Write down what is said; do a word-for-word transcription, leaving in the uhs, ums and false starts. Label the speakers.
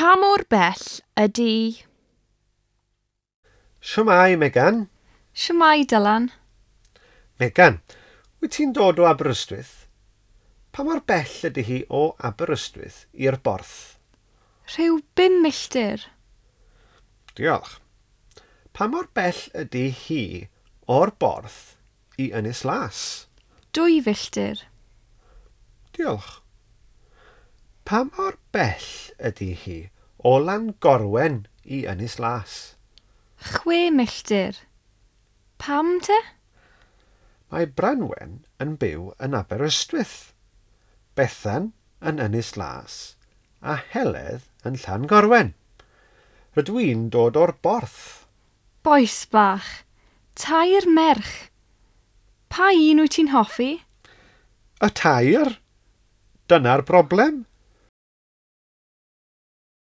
Speaker 1: Pa mor bell ydy...
Speaker 2: Shwmae, Megan?
Speaker 3: Shwmae, Dylan?
Speaker 2: Megan, wyt ti'n dod o Aberystwyth? Pa mor bell ydy hi o Aberystwyth i'r Borth?
Speaker 3: Rhyw bum milltir.
Speaker 2: Diolch. Pa mor bell ydy hi o'r Borth i Ynys Las?
Speaker 3: Dwy filltir.
Speaker 2: Diolch. Pa mor bell ydy hi o Langorwen i Ynys Las?
Speaker 3: Chwe milltir. Pam te?
Speaker 2: Mae Branwen yn byw yn Aberystwyth, Bethan yn Ynys Las a Heledd yn Llangorwen. Rydw i'n dod o'r Borth.
Speaker 3: Bois bach, tair merch. Pa un wyt ti'n hoffi?
Speaker 2: Y tair? Dyna'r broblem.